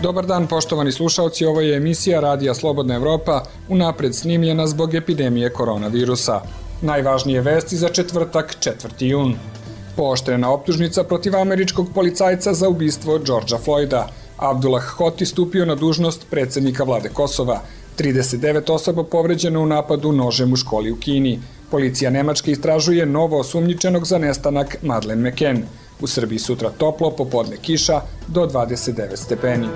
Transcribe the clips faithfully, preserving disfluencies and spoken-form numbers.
Dobar dan, poštovani slušaoci, ovo je emisija Radija Slobodna Evropa, unapred snimljena zbog epidemije koronavirusa. Najvažnije vesti za četvrtak, četvrti jun. Pooštrena optužnica protiv američkog policajca za ubistvo Georgea Floyda. Abdullah Hoti stupio na dužnost predsjednika vlade Kosova. trideset devet osoba povređeno u napadu nožem u školi u Kini. Policija Nemačke istražuje novo osumnjičenog za nestanak Madeleine McCann. U Srbiji sutra toplo, popodne kiša do dvadeset devet stepeni.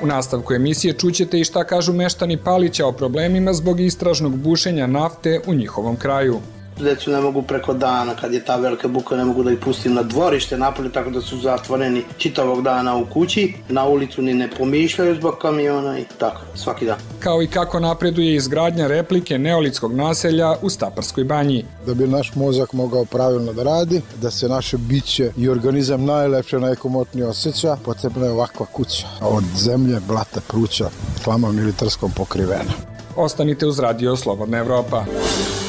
U nastavku emisije čućete i šta kažu meštani Palića o problemima zbog istražnog bušenja nafte u njihovom kraju. Decu ne mogu preko dana, kad je ta velika buka, ne mogu da ih pustim na dvorište napolje, tako da su zatvoreni čitavog dana u kući, na ulicu ni ne pomišljaju zbog kamiona i tako, svaki dan. Kao i kako napreduje izgradnja replike neolitskog naselja u Staparskoj banji. Da bi naš mozak mogao pravilno da radi, da se naše biće i organizam najlepše, najkomotnije osjeća, potrebna je ovakva kuća. Od zemlje, blata, pruća, hlamom militarskom pokrivena. Ostanite uz Radio Slobodna Evropa.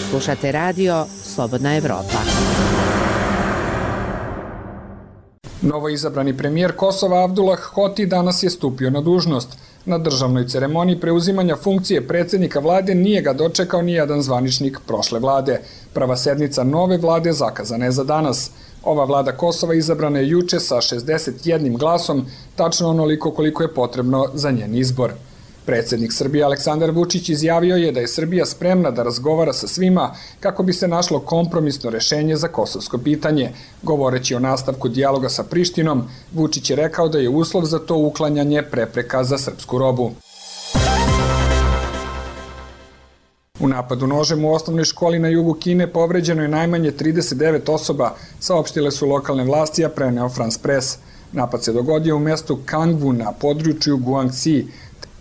Slušate Radio Slobodna Evropa. Novo izabrani premijer Kosova Abdullah Hoti danas je stupio na dužnost. Na državnoj ceremoniji preuzimanja funkcije predsjednika vlade nije ga dočekao ni jedan zvaničnik prošle vlade. Prva sednica nove vlade zakazana je za danas. Ova vlada Kosova izabrana je juče sa šezdeset jednim glasom, tačno onoliko koliko je potrebno za njen izbor. Predsjednik Srbije Aleksandar Vučić izjavio je da je Srbija spremna da razgovara sa svima kako bi se našlo kompromisno rešenje za kosovsko pitanje. Govoreći o nastavku dijaloga sa Prištinom, Vučić je rekao da je uslov za to uklanjanje prepreka za srpsku robu. U napadu nožem u osnovnoj školi na jugu Kine povređeno je najmanje trideset devet osoba, saopštile su lokalne vlasti, a preneo France Press. Napad se dogodio u mestu Kangwu na području Guangxi.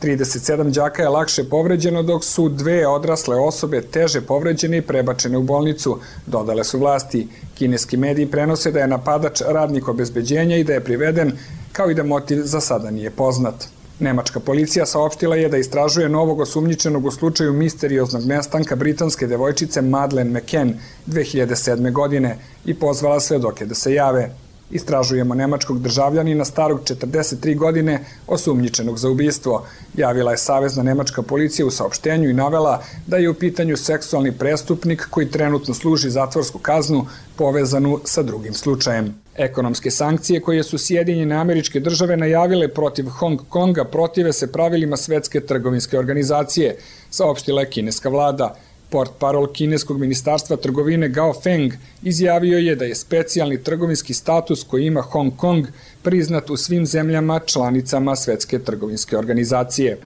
trideset sedam đaka je lakše povređeno, dok su dve odrasle osobe teže povređene i prebačene u bolnicu, dodale su vlasti. Kineski mediji prenose da je napadač radnik obezbeđenja i da je priveden, kao i da motiv za sada nije poznat. Nemačka policija saopštila je da istražuje novog osumnjičenog u slučaju misterioznog nestanka britanske devojčice Madeleine McCann dve hiljade sedme. godine i pozvala svedoke da se jave. Istražujemo nemačkog državljanina starog četrdeset tri godine osumnjičenog za ubistvo, javila je Savezna nemačka policija u saopštenju i navela da je u pitanju seksualni prestupnik koji trenutno služi zatvorsku kaznu povezanu sa drugim slučajem. Ekonomske sankcije koje su Sjedinjene Američke Države najavile protiv Hong Konga protive se pravilima Svetske trgovinske organizacije, saopštila je kineska vlada. Portparol kineskog ministarstva trgovine Gao Feng izjavio je da je specijalni trgovinski status koji ima Hong Kong priznat u svim zemljama članicama Svetske trgovinske organizacije.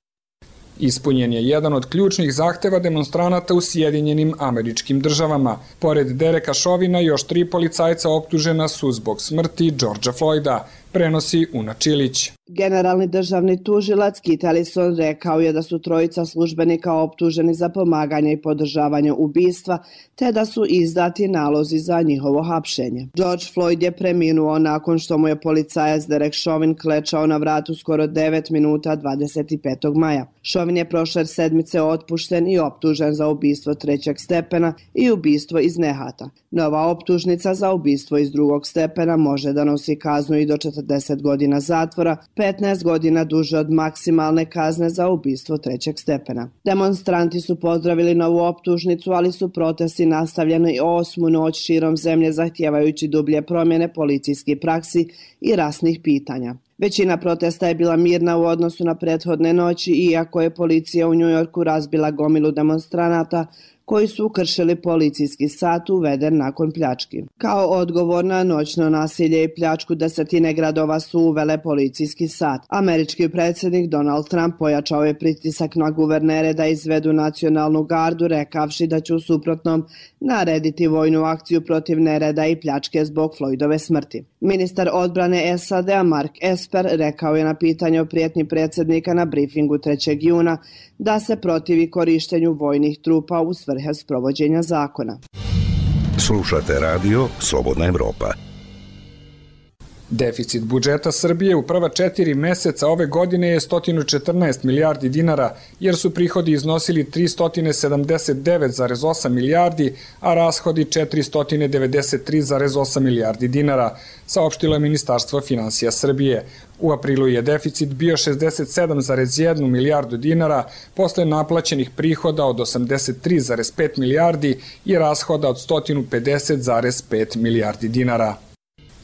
Ispunjen je jedan od ključnih zahteva demonstranata u Sjedinjenim Američkim Državama. Pored Dereka Chauvina, još tri policajca optužena su zbog smrti Georgea Floyda, prenosi Una Čilić. Generalni državni tužilac Kit Ellison rekao je da su trojica službenika optuženi za pomaganje i podržavanje ubistva, te da su izdati nalozi za njihovo hapšenje. George Floyd je preminuo nakon što mu je policajac Derek Chauvin klečao na vratu skoro devet minuta dvadeset petog maja. Chauvin je prošle sedmice otpušten i optužen za ubistvo trećeg stepena i ubistvo iz nehata. Nova optužnica za ubistvo iz drugog stepena može da nosi kaznu i do četrdeset godina zatvora, petnaest godina duže od maksimalne kazne za ubistvo trećeg stepena. Demonstranti su pozdravili novu optužnicu, ali su protesti nastavljeni osmu noć širom zemlje zahtijevajući dublje promjene policijskih praksi i rasnih pitanja. Većina protesta je bila mirna u odnosu na prethodne noći, iako je policija u Njujorku razbila gomilu demonstranata koji su kršili policijski sat uveden nakon pljački. Kao odgovor na noćno nasilje i pljačku, desetine gradova su uvele policijski sat. Američki predsjednik Donald Trump pojačao je pritisak na guvernere da izvedu nacionalnu gardu, rekavši da će u suprotnom narediti vojnu akciju protiv nereda i pljačke zbog Floydove smrti. Ministar odbrane S A D-a Mark Esper rekao je na pitanje o prijetnji predsjednika na brifingu trećeg juna da se protivi korištenju vojnih trupa u svrhe sprovođenja zakona. Slušate Radio Slobodna Evropa. Deficit budžeta Srbije u prva četiri meseca ove godine je sto četrnaest milijardi dinara, jer su prihodi iznosili tristo sedamdeset devet zarez osam milijardi, a rashodi četiristo devedeset tri zarez osam milijardi dinara, saopštilo je Ministarstvo finansija Srbije. U aprilu je deficit bio šezdeset sedam zarez jedan milijardu dinara, posle naplaćenih prihoda od osamdeset tri zarez pet milijardi i rashoda od sto pedeset zarez pet milijardi dinara.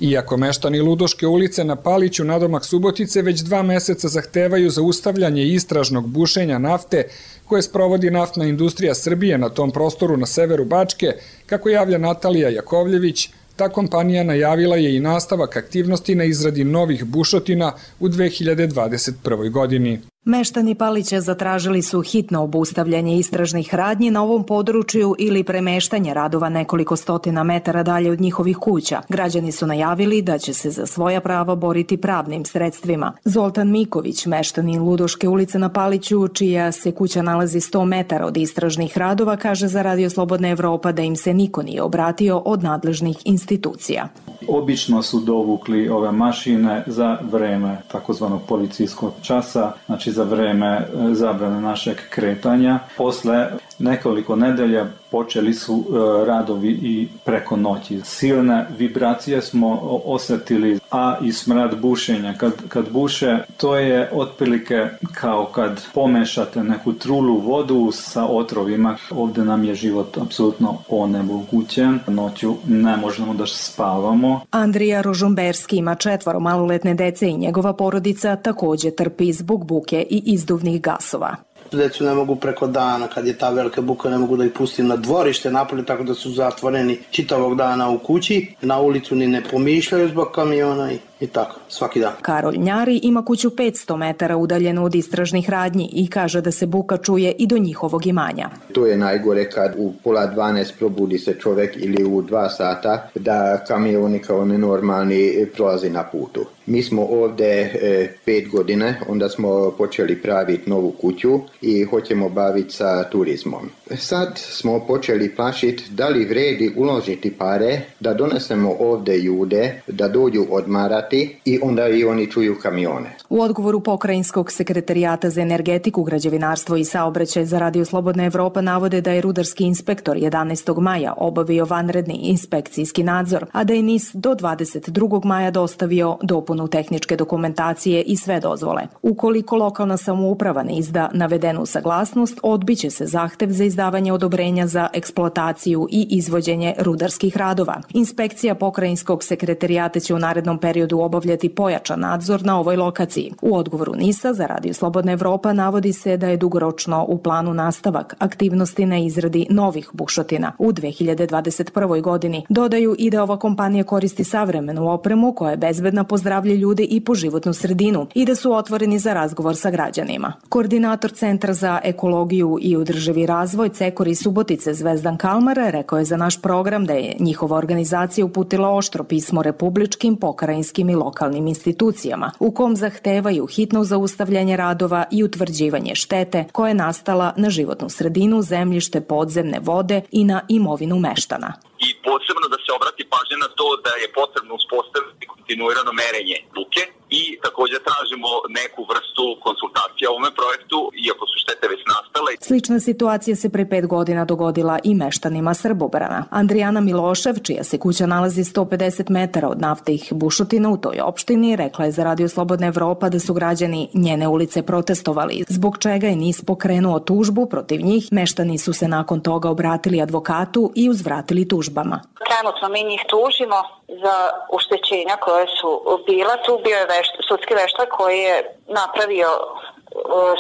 Iako meštani Ludoške ulice na Paliću nadomak Subotice već dva meseca zahtevaju zaustavljanje istražnog bušenja nafte koje sprovodi Naftna industrija Srbije na tom prostoru na severu Bačke, kako javlja Natalija Jakovljević, ta kompanija najavila je i nastavak aktivnosti na izradi novih bušotina u dve hiljade dvadeset prvoj godini. Meštani Palića zatražili su hitno obustavljanje istražnih radnji na ovom području ili premeštanje radova nekoliko stotina metara dalje od njihovih kuća. Građani su najavili da će se za svoja prava boriti pravnim sredstvima. Zoltan Miković, meštanin Ludoške ulice na Paliću, čija se kuća nalazi sto metara od istražnih radova, kaže za Radio Slobodna Evropa da im se niko nije obratio od nadležnih institucija. Obično su dovukli ove mašine za vreme takozvanog policijskog časa, znači za vreme zabrane našeg kretanja. Posle nekoliko nedelja počeli su radovi i preko noći. Silne vibracije smo osetili, a i smrad bušenja. Kad, kad buše, to je otprilike kao kad pomešate neku trulu vodu sa otrovima. Ovde nam je život apsolutno onemogućen. Noću ne možemo da spavamo. Andrija Rožumberski ima četvoro maloletne dece i njegova porodica takođe trpi zbog buke i izduvnih gasova. Decu ne mogu preko dana, kad je ta velika buka ne mogu da ih pustim na dvorište napolje, tako da su zatvoreni čitavog dana u kući, na ulicu ni ne pomišljaju zbog kamiona i, i tako, svaki dan. Karol Njari ima kuću petsto metara udaljenu od istražnih radnji i kaže da se buka čuje i do njihovog imanja. To je najgore kad u pola dvanaest probudi se čovek ili u dva sata da kamioni kao nenormalni prolazi na putu. Mi smo ovde e, pet godine, onda smo počeli praviti novu kuću i hoćemo baviti sa turizmom. Sad smo počeli plašiti da li vredi uložiti pare, da donesemo ovde ljude, da dođu odmarati i onda i oni čuju kamione. U odgovoru Pokrajinskog sekretarijata za energetiku, građevinarstvo i saobraćaj za Radio Slobodna Evropa navode da je rudarski inspektor jedanaestog maja obavio vanredni inspekcijski nadzor, a da je N I S do dvadeset drugog maja dostavio dopunu tehničke dokumentacije i sve dozvole. Ukoliko lokalna samouprava ne izda navedenu saglasnost, odbiće se zahtev za izdavanje odobrenja za eksploataciju i izvođenje rudarskih radova. Inspekcija Pokrajinskog sekretarijata će u narednom periodu obavljati pojačan nadzor na ovoj lokaciji. U odgovoru N I S-a za Radio Slobodna Evropa navodi se da je dugoročno u planu nastavak aktivnosti na izradi novih bušotina u dve hiljade dvadeset prvoj godini. Dodaju i da ova kompanija koristi savremenu opremu koja je bezbedna po zdravlje ljude i po životnu sredinu i da su otvoreni za razgovor sa građanima. Koordinator Centra za ekologiju i održivi razvoj Cekor i Subotice Zvezdan Kalmar rekao je za naš program da je njihova organizacija uputila oštro pismo republičkim, pokrajinskim i lokalnim institucijama u kom zahtevaju hitno zaustavljanje radova i utvrđivanje štete koja je nastala na životnu sredinu, zemljište, podzemne vode i na imovinu meštana. I posebno da se obrati pažnja na to da je potrebno uspostaviti kontinuirano merenje buke i također tražimo neku vrstu konsultacija o ovome projektu, iako su štete već nastale. Slična situacija se pre pet godina dogodila i meštanima Srbobrana. Andrijana Milošev, čija se kuća nalazi sto pedeset metara od naftnih bušotina u toj opštini, rekla je za Radio Slobodna Evropa da su građani njene ulice protestovali, zbog čega je N I S pokrenuo tužbu protiv njih. Meštani su se nakon toga obratili advokatu i uzvratili tužbama. Trenutno mi njih tužimo za uštećenja koje su bila. Tu bio je vešt, sudski veštak koji je napravio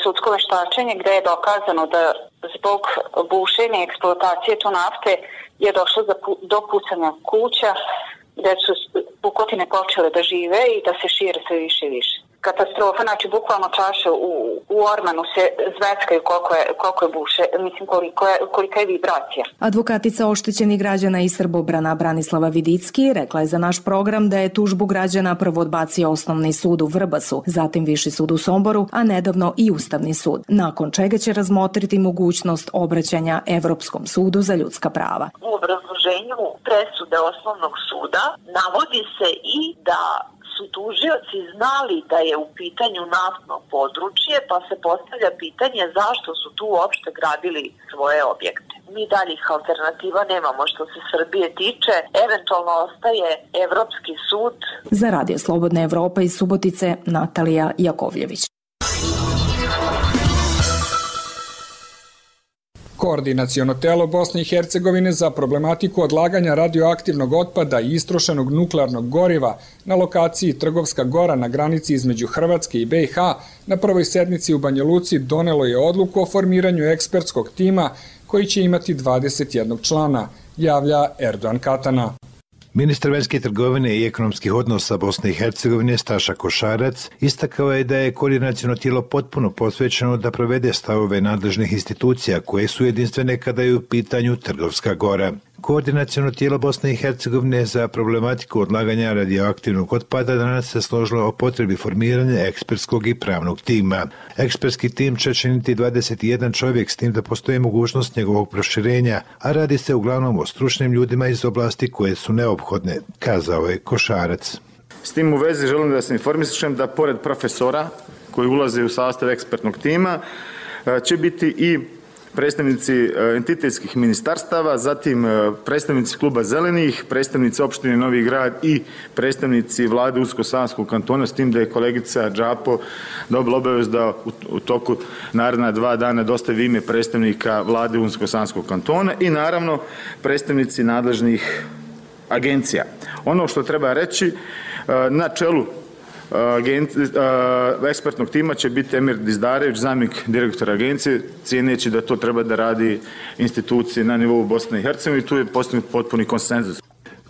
sudsko veštačenje gde je dokazano da zbog bušenja i eksploatacije tu nafte je došlo do pucanja kuća gde su pukotine počele da žive i da se šire sve više i više. Katastrofa, znači bukvalno čaše u, u ormanu se zveckaju koliko je, koliko je buše, mislim koliko je, kolika je vibracija. Advokatica oštećenih građana iz Srbobrana Branislava Vidicki rekla je za naš program da je tužbu građana prvo odbacio Osnovni sud u Vrbasu, zatim Viši sud u Somboru, a nedavno i Ustavni sud, nakon čega će razmotriti mogućnost obraćanja Evropskom sudu za ljudska prava. U obrazloženju presude Osnovnog suda navodi se i da su tužioci znali da je u pitanju naftno područje, pa se postavlja pitanje zašto su tu uopšte gradili svoje objekte. Mi daljih alternativa nemamo što se Srbije tiče, eventualno ostaje Evropski sud. Za Radio Slobodna Evropa iz Subotice, Natalija Jakovljević. Koordinaciono telo Bosne i Hercegovine za problematiku odlaganja radioaktivnog otpada i istrošenog nuklearnog goriva na lokaciji Trgovska Gora na granici između Hrvatske i B i H na prvoj sednici u Banja Luci donelo je odluku o formiranju ekspertskog tima koji će imati dvadeset jednog člana, javlja Erdogan Katana. Ministar vanjske trgovine i ekonomskih odnosa Bosne i Hercegovine Staša Košarac istakao je da je koordinaciono tijelo potpuno posvećeno da provede stavove nadležnih institucija koje su jedinstvene kada je u pitanju Trgovska Gora. Koordinaciono tijelo Bosne i Hercegovine za problematiku odlaganja radioaktivnog otpada danas se složilo o potrebi formiranja ekspertskog i pravnog tima. Ekspertski tim će činiti dvadeset jedan čovjek s tim da postoji mogućnost njegovog proširenja, a radi se uglavnom o stručnim ljudima iz oblasti koje su neophodne, kazao je Košarac. S tim u vezi želim da se informišem da pored profesora koji ulaze u sastav ekspertnog tima će biti i predstavnici entitetskih ministarstava, zatim predstavnici kluba Zelenih, predstavnici opštine Novi Grad i predstavnici vlade Unsko-Sanskog kantona, s tim da je kolegica Džapo dobila obavezu da u toku naredna dva dana dostavi ime predstavnika vlade Unsko-Sanskog kantona i naravno predstavnici nadležnih agencija. Ono što treba reći, na čelu ekspertnog tima će biti Emir Dizdarević, zamjenik direktora agencije, cijeneći da to treba da radi institucije na nivou Bosne i Hercegovine i tu je postignut potpuni konsenzus.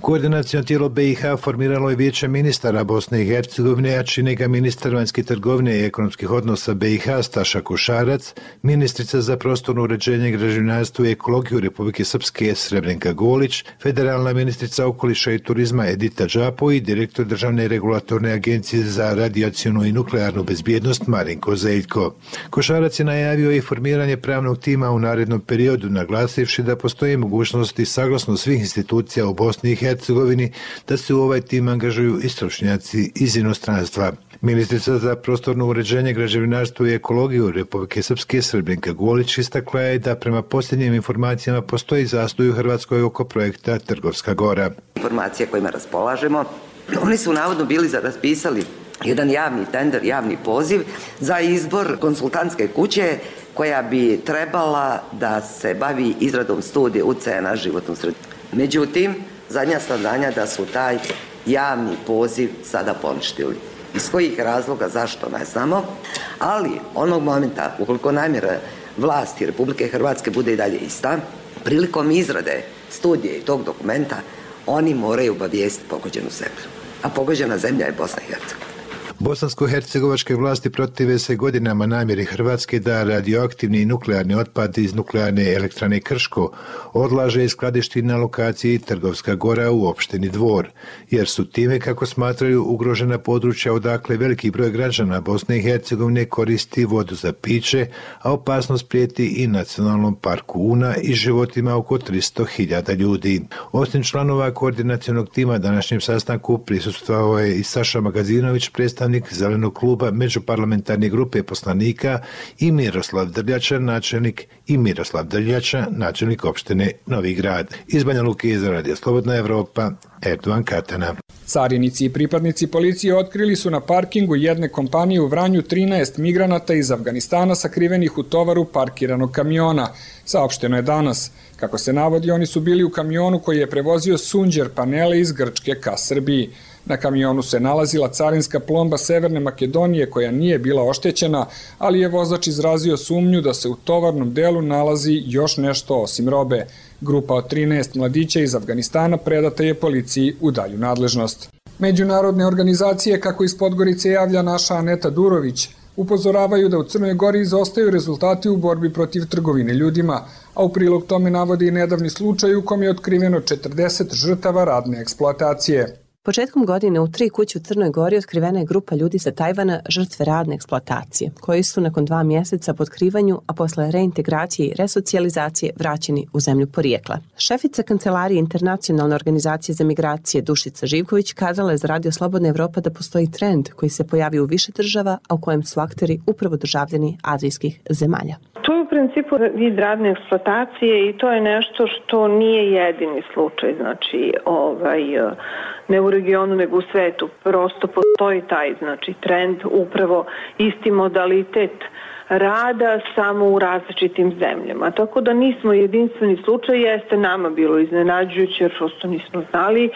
Koordinaciono tijelo B i H formiralo je vijeće ministara Bosne i Hercegovine, a čine ga ministar vanjske trgovine i ekonomskih odnosa B i H Staša Košarac, ministrica za prostorno uređenje, građevinarstvo i ekologiju Republike Srpske Srebrenka Golić, federalna ministrica okoliša i turizma Edita Džapo i direktor Državne regulatorne agencije za radijacionu i nuklearnu bezbjednost Marinko Zeljko. Košarac je najavio i formiranje pravnog tima u narednom periodu, naglasivši da postoji mogućnosti saglasno svih institucija u Bosni i Hercegovini Hercegovini da se u ovaj tim angažuju i stručnjaci iz inostranstva. Ministrica za prostorno uređenje, građevinarstvo i ekologiju Republike Srpske Srebrenka Golić istakla je da prema posljednjim informacijama postoji zastoj u Hrvatskoj oko projekta Trgovska Gora. Informacije kojima raspolažemo, oni su navodno bili raspisali jedan javni tender, javni poziv za izbor konsultantske kuće koja bi trebala da se bavi izradom studije utjecaja na životnu sredinu. Međutim, zadnja saznanja da su taj javni poziv sada poništili. Iz kojih razloga, zašto, ne znamo, ali onog momenta, ukoliko namjera vlasti Republike Hrvatske bude i dalje ista, prilikom izrade studije i tog dokumenta, oni moraju obavijestiti pogođenu zemlju. A pogođena zemlja je Bosna i Hercegovina. Bosansko-hercegovačke vlasti protive se godinama namjeri Hrvatske da radioaktivni i nuklearni otpad iz nuklearne elektrane Krško odlaže i skladišti na lokaciji Trgovska Gora u opštini Dvor, jer su time, kako smatraju, ugrožena područja odakle veliki broj građana Bosne i Hercegovine koristi vodu za piće, a opasnost prijeti i nacionalnom parku Una i životima oko tristo hiljada ljudi. Osim članova koordinacionog tima današnjem sastanku prisustvovao je i Saša Magazinović, predstavnik Zelenog kluba međuparlamentarne grupe poslanika i Miroslav Drljača, načelnik i Miroslav Drljača, načelnik opštine Novi Grad. Iz Banja Luke za Radio Slobodna Evropa, Erdogan Katana. Carinici i pripadnici policije otkrili su na parkingu jedne kompanije u Vranju trinaest migranata iz Afganistana sakrivenih u tovaru parkiranog kamiona. Saopšteno je danas. Kako se navodi, oni su bili u kamionu koji je prevozio sunđer panele iz Grčke ka Srbiji. Na kamionu se nalazila carinska plomba Severne Makedonije koja nije bila oštećena, ali je vozač izrazio sumnju da se u tovarnom delu nalazi još nešto osim robe. Grupa od trinaest mladića iz Afganistana predata je policiji u dalju nadležnost. Međunarodne organizacije, kako iz Podgorice javlja naša Aneta Durović, upozoravaju da u Crnoj Gori izostaju rezultati u borbi protiv trgovine ljudima, a u prilog tome navodi i nedavni slučaj u kom je otkriveno četrdeset žrtava radne eksploatacije. Početkom godine u tri kuće u Crnoj Gori otkrivena je grupa ljudi sa Tajvana žrtve radne eksploatacije, koji su nakon dva mjeseca po otkrivanju, a posle reintegracije i resocijalizacije vraćeni u zemlju porijekla. Šefica Kancelarije Internacionalne organizacije za migracije Dušica Živković kazala je za Radio Slobodna Evropa da postoji trend koji se pojavi u više država, a u kojem su akteri upravo državljani azijskih zemalja. To je u principu vid radne eksploatacije i to je nešto što nije jedini slučaj, znači ovaj, ne u regionu nego u svetu. Prosto postoji taj znači, trend, upravo isti modalitet rada samo u različitim zemljama. Tako da nismo jedinstveni slučaj, jeste nama bilo iznenađujuće jer prosto nismo znali,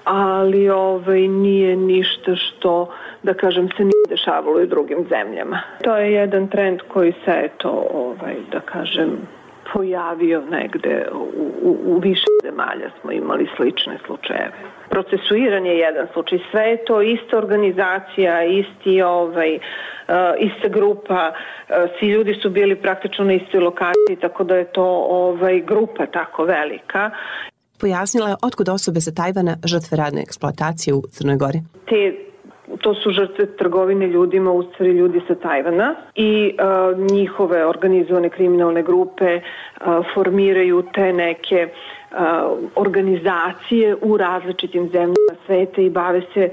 ali ovaj, nije ništa što, da kažem, se nije dešavalo i u drugim zemljama. To je jedan trend koji se, eto, ovaj, da kažem, pojavio negde u, u, u više zemalja smo imali slične slučajeve. Procesuiran je jedan slučaj, sve je to ista organizacija, isti, ovaj, uh, ista grupa, uh, svi ljudi su bili praktično na istoj lokaciji, tako da je to ovaj, grupa tako velika. Pojasnila je otkud osobe sa Tajvana žrtve radne eksploatacije u Crnoj Gori. Te To su žrtve trgovine ljudima, u stvari ljudi sa Tajvana i uh, njihove organizovane kriminalne grupe uh, formiraju te neke uh, organizacije u različitim zemljama sveta i bave se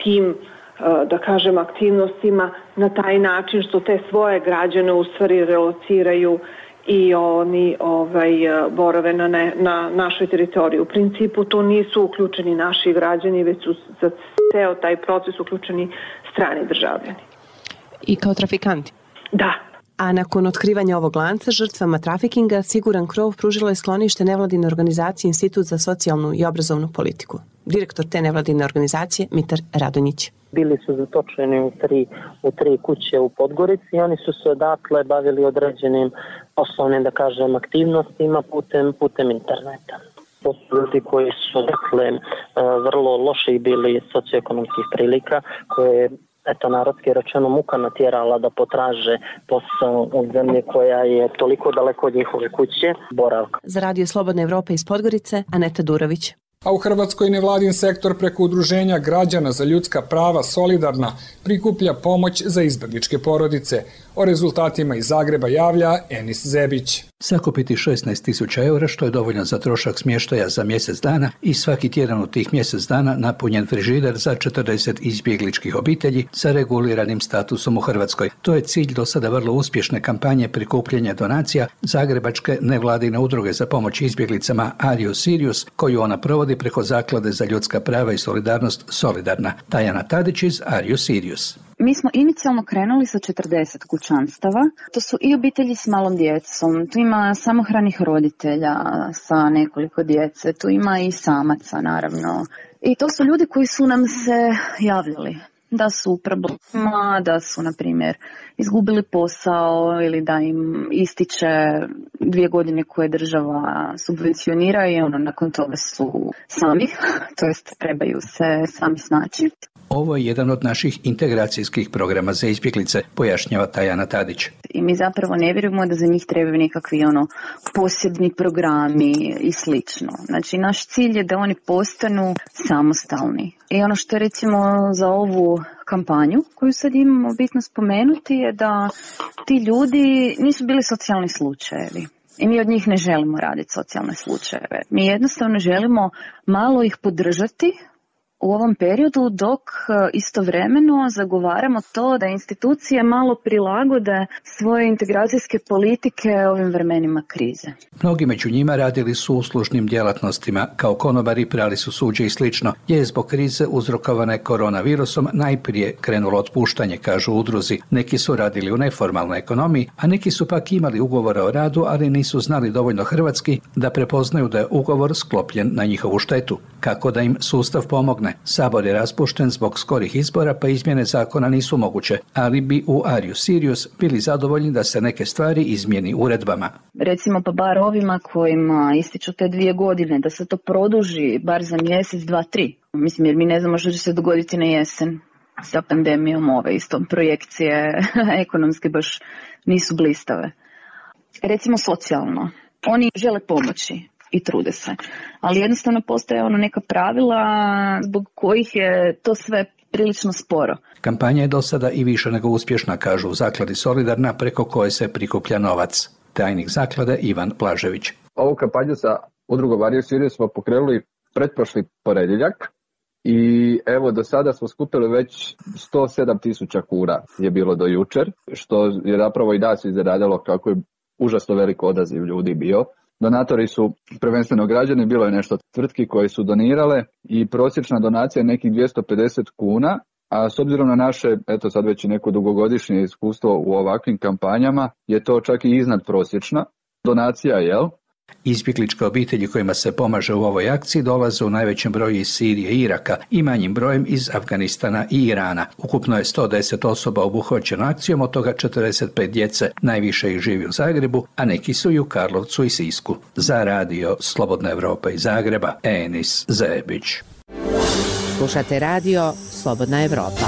tim, uh, da kažem, aktivnostima na taj način što te svoje građane u stvari relociraju i oni ovaj, borave na, ne, na našoj teritoriji. U principu to nisu uključeni naši građani, već su za ceo taj proces uključeni strani državljani. I kao trafikanti? Da. A nakon otkrivanja ovog lanca žrtvama trafikinga Siguran krov pružilo je sklonište nevladine organizacije Institut za socijalnu i obrazovnu politiku. Direktor te nevladine organizacije Mitar Radonjić. Bili su zatočeni u tri, u tri kuće u Podgorici i oni su se odatle bavili određenim poslovnim, da kažem, aktivnostima putem, putem interneta. To su ljudi koji su, dakle, vrlo loši bili socioekonomskih prilika, koje eto, narodski rečeno muka natjerala da potraže posao u zemlji koja je toliko daleko od njihove kuće, boravka. Za Radio Slobodna Evropa iz Podgorice, Aneta Durović. A u Hrvatskoj nevladin sektor preko udruženja građana za ljudska prava Solidarna prikuplja pomoć za izbegličke porodice. O rezultatima iz Zagreba javlja Enis Zebić. Sakupiti šesnaest tisuća eura, što je dovoljno za trošak smještaja za mjesec dana i svaki tjedan u tih mjesec dana napunjen frižider za četrdeset izbjegličkih obitelji sa reguliranim statusom u Hrvatskoj. To je cilj do sada vrlo uspješne kampanje prikupljanja donacija Zagrebačke nevladine udruge za pomoć izbjeglicama Are You Serious, koju ona provodi preko Zaklade za ljudska prava i solidarnost Solidarna. Tajana Tadić iz Are You Serious. Mi smo inicijalno krenuli sa četrdeset kućanstava. To su i obitelji s malom djecom, tu ima samohranih roditelja sa nekoliko djece, tu ima i samaca naravno. I to su ljudi koji su nam se javljali da su u problemima, da su, na primjer, izgubili posao ili da im ističe dvije godine koje država subvencionira i ono, nakon toga su sami, to jest trebaju se sami snaći. Ovo je jedan od naših integracijskih programa za izbjeglice, pojašnjava Tajana Tadić. I mi zapravo ne vjerujemo da za njih trebaju nekakvi ono posebni programi i slično. Znači, naš cilj je da oni postanu samostalni. I ono što recimo za ovu kampanju koju sad imamo bitno spomenuti je da ti ljudi nisu bili socijalni slučajevi. I mi od njih ne želimo raditi socijalne slučajeve. Mi jednostavno želimo malo ih podržati u ovom periodu dok istovremeno zagovaramo to da institucije malo prilagode svoje integracijske politike ovim vremenima krize. Mnogi među njima radili su u uslužnim djelatnostima, kao konobari, prali su suđe i slično, je zbog krize uzrokovane koronavirusom najprije krenulo otpuštanje, kažu udruzi. Neki su radili u neformalnoj ekonomiji, a neki su pak imali ugovore o radu, ali nisu znali dovoljno hrvatski da prepoznaju da je ugovor sklopljen na njihovu štetu. Kako da im sustav pomogne? Sabor je raspušten zbog skorih izbora, pa izmjene zakona nisu moguće, ali bi u Are You Serious bili zadovoljni da se neke stvari izmijeni uredbama. Recimo pa bar ovima kojima ističu te dvije godine, da se to produži bar za mjesec, dva, tri. Mislim, jer mi ne znamo što će se dogoditi na jesen sa pandemijom, ove isto projekcije ekonomske baš nisu blistave. Recimo socijalno. Oni žele pomoći, i trude se. Ali jednostavno postoje ono neka pravila zbog kojih je to sve prilično sporo. Kampanja je do sada i više nego uspješna, kažu u zakladi Solidarna, preko koje se prikuplja novac. Tajnik zaklade Ivan Blažević. Ovu kampanju sa udrugom Vario Sirius smo pokrenuli pretprošli ponedjeljak i evo do sada smo skupili već sto sedam tisuća kuna je bilo do jučer, što je zapravo i nas iznenadilo kako je užasno velik odaziv ljudi bio. Donatori su prvenstveno građani, bilo je nešto tvrtki koje su donirale i prosječna donacija je nekih dvjesto pedeset kuna, a s obzirom na naše, eto sad već i neko dugogodišnje iskustvo u ovakvim kampanjama, je to čak i iznad prosječna donacija, jel? Izbjegličke obitelji kojima se pomaže u ovoj akciji dolaze u najvećem broju iz Sirije i Iraka i manjim brojem iz Afganistana i Irana. Ukupno je sto deset osoba obuhvaćeno akcijom, od toga četrdeset pet djece, najviše ih živi u Zagrebu, a neki su i u Karlovcu i Sisku. Za radio Slobodna Evropa iz Zagreba, Enis Zebić. Slušate radio Slobodna Evropa.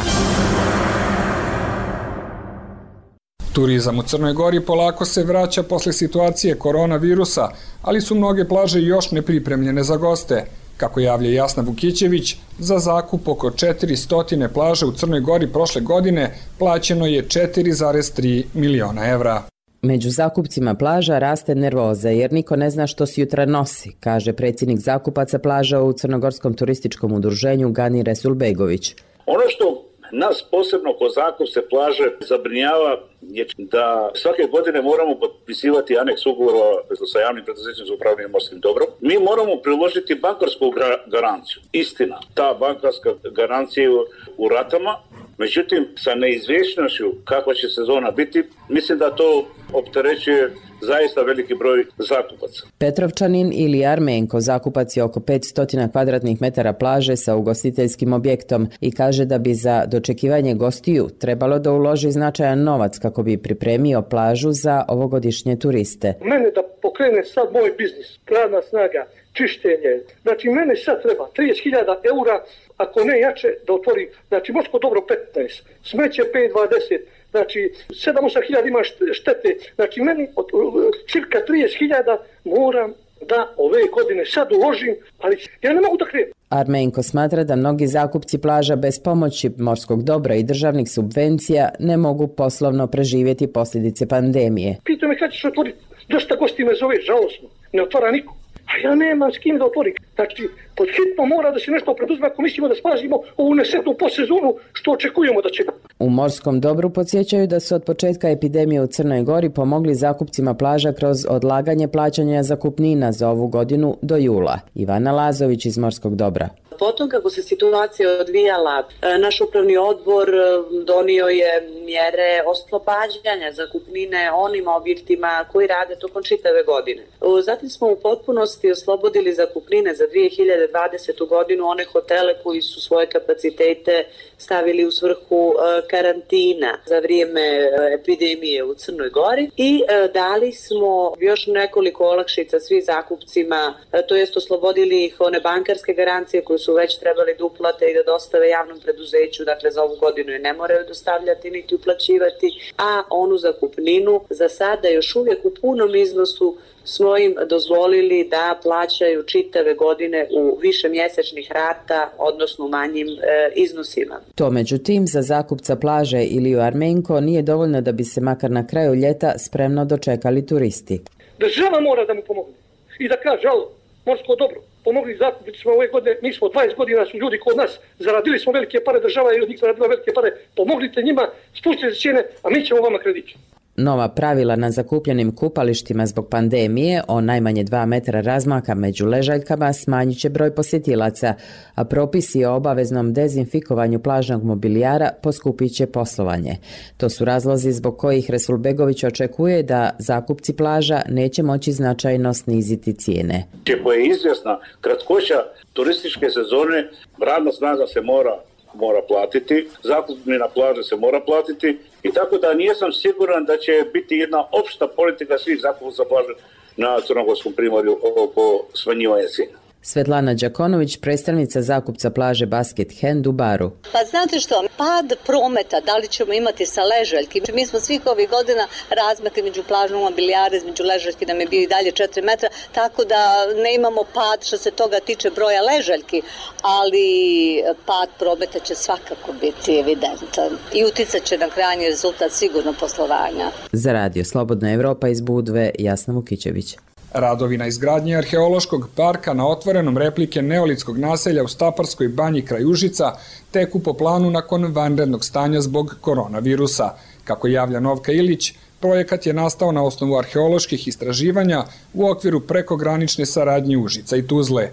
Turizam u Crnoj Gori polako se vraća posle situacije koronavirusa, ali su mnoge plaže još nepripremljene za goste. Kako javlja Jasna Vukićević, za zakup oko četiristo plaže u Crnoj Gori prošle godine plaćeno je četiri zarez tri miliona evra. Među zakupcima plaža raste nervoza jer niko ne zna što se jutra nosi, kaže predsjednik zakupaca plaža u Crnogorskom turističkom udruženju Gani Resulbegović. Ono što nas posebno ko zakupce plaže zabrinjava je da svake godine moramo potpisivati aneks ugovora sa javnim preduzećem za upravljanje morskim dobrom. Mi moramo priložiti bankarsku garanciju. Istina, ta bankarska garancija je u ratama, međutim sa neizvjesnošću kakva će sezona biti, mislim da to opterećuje zaista veliki broj zakupaca. Petrovčanin ili Armenko zakupac je oko petsto kvadratnih metara plaže sa ugostiteljskim objektom i kaže da bi za dočekivanje gostiju trebalo da uloži značajan novac kako bi pripremio plažu za ovogodišnje turiste. Mene da pokrene sad moj biznis, radna snaga, čištenje, znači mene sad treba trideset hiljada eura, ako ne jače da otvori, znači morsko dobro petnaest, smeće pet dvadeset, znači sedam osam hiljada ima štete, znači meni od cirka trideset hiljada moram da ove godine sad uložim, ali ja ne mogu da krenem. Armenko smatra da mnogi zakupci plaža bez pomoći morskog dobra i državnih subvencija ne mogu poslovno preživjeti posljedice pandemije. Pitao me kad će se otvoriti, dosta gosti me zove, žalosno, ne otvara niko. A ja nemam s kim da otvorim. Znači, pod hitno mora da se nešto preduzme ako mislimo da spazimo ovu nesretnu postsezonu što očekujemo da će. U morskom dobru podsjećaju da su od početka epidemije u Crnoj Gori pomogli zakupcima plaža kroz odlaganje plaćanja zakupnina za ovu godinu do jula. Ivana Lazović iz Morskog dobra. Potom kako se situacija odvijala, naš upravni odbor donio je mjere oslobađanja zakupnine onim objektima koji rade tokom čitave godine. Zatim smo u potpunosti oslobodili zakupnine za dvije hiljade dvadesetu godinu one hotele koji su svoje kapacitete stavili u svrhu karantina za vrijeme epidemije u Crnoj Gori i dali smo još nekoliko olakšica svih zakupcima, to jest oslobodili ih one bankarske garancije koje su već trebali da uplate i da dostave javnom preduzeću, dakle za ovu godinu je ne moraju dostavljati niti uplaćivati, a onu zakupninu za sada još uvijek u punom iznosu smo im dozvolili da plaćaju čitave godine u više mjesečnih rata, odnosno u manjim e, iznosima. To međutim za zakupca plaže ili u Armenko nije dovoljno da bi se makar na kraju ljeta spremno dočekali turisti. Država mora da mu pomogne i da kaže, alo, morsko dobro, pomogli zakupnicima ove godine, mi smo dvadeset godina su ljudi kod nas, zaradili smo velike pare, država je od njih zaradila velike pare, pomoglite njima, spustite cijene, a mi ćemo vama krediti. Nova pravila na zakupljenim kupalištima zbog pandemije o najmanje dva metra razmaka među ležaljkama smanjit će broj posjetilaca, a propisi o obaveznom dezinfikovanju plažnog mobilijara poskupit će poslovanje. To su razlozi zbog kojih Resulbegović očekuje da zakupci plaža neće moći značajno sniziti cijene. Ako je izvjesna kratkoća turističke sezone, radna snaga se mora mora platiti, zakupnina plaže se mora platiti i tako da nisam siguran da će biti jedna opšta politika svih zakupaca plaže na Crnogorskom primorju oko smanjivanja cijena. Svetlana Đakonović, predstavnica zakupca plaže Basket Hand u Baru. Pa znate što, pad prometa, da li ćemo imati sa ležaljki? Mi smo svih ovih godina razmakli među plažnom mobilijare, između ležaljki nam je bio i dalje četiri metra, tako da ne imamo pad što se toga tiče broja ležaljki, ali pad prometa će svakako biti evidentan i uticat će na krajnji rezultat sigurno poslovanja. Za Radio Slobodna Evropa iz Budve, Jasna Vukićević. Radovi na izgradnji arheološkog parka na otvorenom replike neolitskog naselja u Staparskoj banji kraj Užica teku po planu nakon vanrednog stanja zbog koronavirusa. Kako javlja Novka Ilić, projekat je nastao na osnovu arheoloških istraživanja u okviru prekogranične saradnje Užica i Tuzle.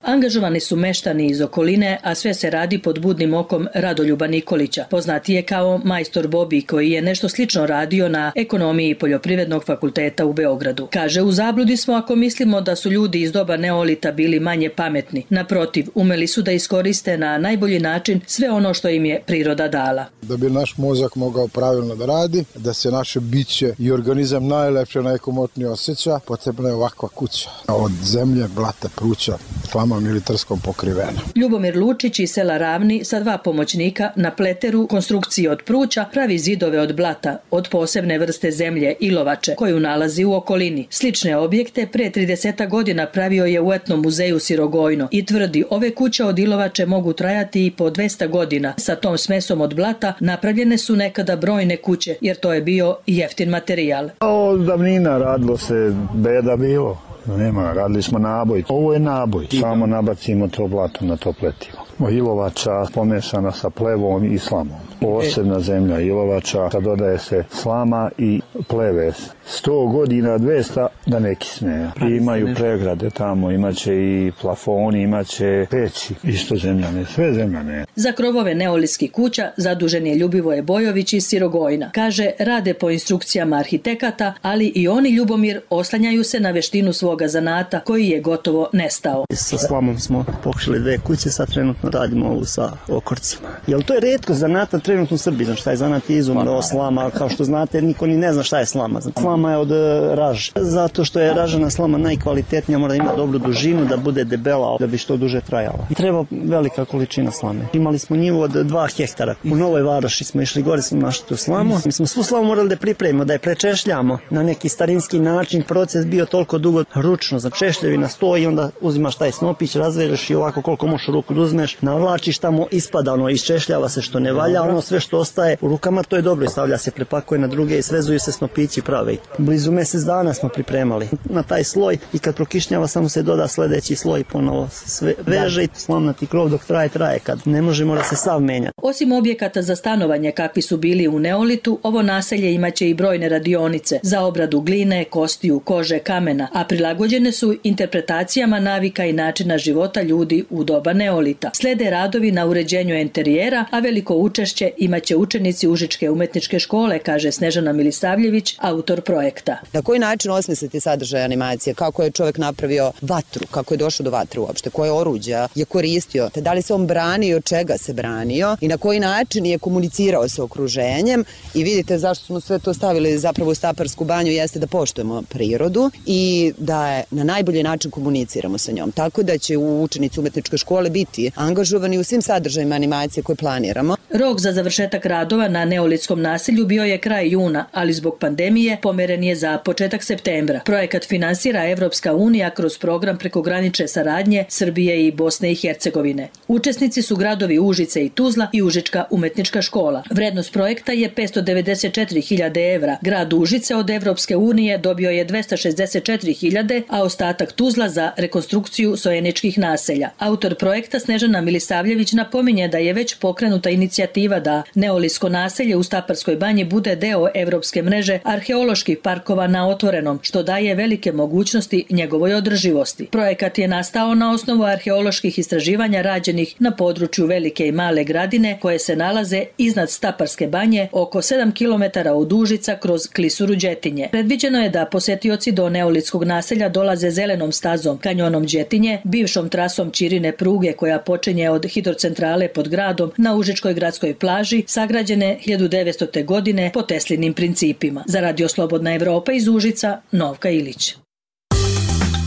Angažovani su meštani iz okoline, a sve se radi pod budnim okom Radoljuba Nikolića. Poznati je kao majstor Bobi, koji je nešto slično radio na ekonomiji Poljoprivrednog fakulteta u Beogradu. Kaže, u zabludi smo ako mislimo da su ljudi iz doba neolita bili manje pametni. Naprotiv, umeli su da iskoriste na najbolji način sve ono što im je priroda dala. Da bi naš mozak mogao pravilno da radi, da se naše biće i organizam najlepše, najkomotnije osjeća, potrebna je ovakva kuća. Od zemlje, blata, pruća, slama militarskom pokrivena. Ljubomir Lučić iz sela Ravni sa dva pomoćnika na pleteru konstrukcije od pruća pravi zidove od blata, od posebne vrste zemlje ilovače, koju nalazi u okolini. Slične objekte pre trideset godina pravio je u etnom muzeju Sirogojno i tvrdi, ove kuće od ilovače mogu trajati i po dvesta godina. Sa tom smesom od blata napravljene su nekada brojne kuće, jer to je bio jeftin materijal. Od davnina radilo se, beda bilo. Nema, radili smo naboj. Ovo je naboj. Samo nabacimo to blato na to pletivo. Ilovača pomešana sa plevom i slamom. Posebna zemlja ilovača, kad dodaje se slama i pleve. sto godina, dvesta da ne kisne. Imaju pregrade tamo, imaće i plafoni, imaće peći. Isto zemljane, sve zemljane. Za krovove neolitskih kuća zadužen je Ljubivoje Bojović iz Sirogojna. Kaže, rade po instrukcijama arhitekata, ali i oni, Ljubomir, oslanjaju se na veštinu svoga zanata, koji je gotovo nestao. Sa slamom smo pokušali dve kuće, sad trenutno radimo ovu sa okorcima. Jel to je retko zanata trenutno u Srbiji, znači taj zanat je izumro, slama, kao što znate, niko ni ne zna šta je slama. Slama je od raže. Zato što je ražena slama najkvalitetnija, mora da ima dobru dužinu, da bude debela, da bi što duže trajala. Treba velika količina slame. Imali smo njivu od dva hektara. U Novoj Varoši smo išli gore, smo našli tu slamu. Mi smo svu slamu morali da pripremimo, da je prečešljamo na neki starinski način. Proces bio toliko dugo ručno, za češljevina stoji, onda uzimaš taj snopić, razvereš i ovako koliko možeš u ruku da uzmeš, navlačiš tamo, ispada ono, isčešljava se što ne valja, ono sve što ostaje u rukama, to je dobro i stavlja se, prepakuje na druge i svezuju se snopići prave. Blizu mjesec dana smo pripremali na taj sloj i kad prokišnjava samo se doda sljedeći sloj, ponovo sve veže i slamnati krov dok traje, traje, kad ne može mora se sav menjati. Osim objekata za stanovanje kakvi su bili u neolitu, ovo naselje imaće i brojne radionice za obradu gline, kostiju, kože, kamena, a prilagođene su interpretacijama navika i načina života ljudi u doba neolita. Slede radovi na uređenju enterijera, a veliko učešće imaće učenici Užičke umetničke škole, kaže Snežana Milisavljević, autor projekta. Na koji način osmisliti sadržaj animacije? Kako je čovjek napravio vatru? Kako je došao do vatre uopšte? Koje oruđa je koristio? Te da li se on branio, od čega se branio? I na koji način je komunicirao sa okruženjem? I vidite zašto smo sve to stavili zapravo u Staparsku banju, jeste da poštujemo prirodu i da je na najbolji način komuniciramo sa njom. Tako da će u učenici umetničke škole biti angažovani u svim sadržajima animacije koje planiramo. Rok za završetak radova na neolitskom naselju bio je kraj juna, ali zbog pandemije pomeren je za početak septembra. Projekat finansira Evropska unija kroz program prekogranične saradnje Srbije i Bosne i Hercegovine. Učesnici su gradovi Užice i Tuzla i Užička umetnička škola. Vrednost projekta je petsto devedeset četiri hiljade evra. Grad Užice od Evropske unije dobio je dvesta šezdeset četiri hiljade, a ostatak Tuzla za rekonstrukciju sojeničkih naselja. Autor projekta Snežana Milisavljević napominje da je već pokrenuta inicijativa da neolitsko naselje u Staparskoj banji bude deo evropske mreže arheoloških parkova na otvorenom, što daje velike mogućnosti njegovoj održivosti. Projekat je nastao na osnovu arheoloških istraživanja rađenih na području Velike i Male Gradine, koje se nalaze iznad Staparske banje, oko sedam kilometara od Užica kroz klisuru Đetinje. Predviđeno je da posetioci do neolitskog naselja dolaze zelenom stazom, kanjonom Đetinje, bivšom trasom Ćirine pruge koja počinje od hidrocentrale pod gradom na Užičkoj gradskoj plaži, sagrađene hiljadu devetstote. godine po Teslinim principima. Za Radio Slobodna Evropa iz Užica, Novka Ilić.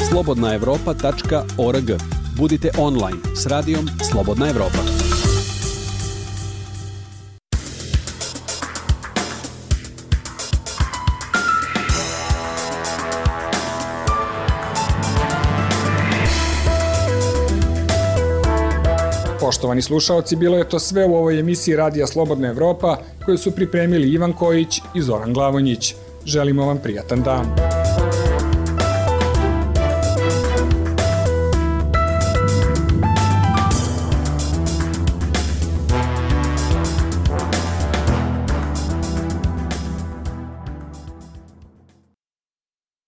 slobodna evropa tačka org. Budite online s radijom Slobodna Evropa. Poštovani slušaoci, bilo je to sve u ovoj emisiji Radija Slobodna Evropa koju su pripremili Ivan Kojić i Zoran Glavonjić. Želimo vam prijatan dan.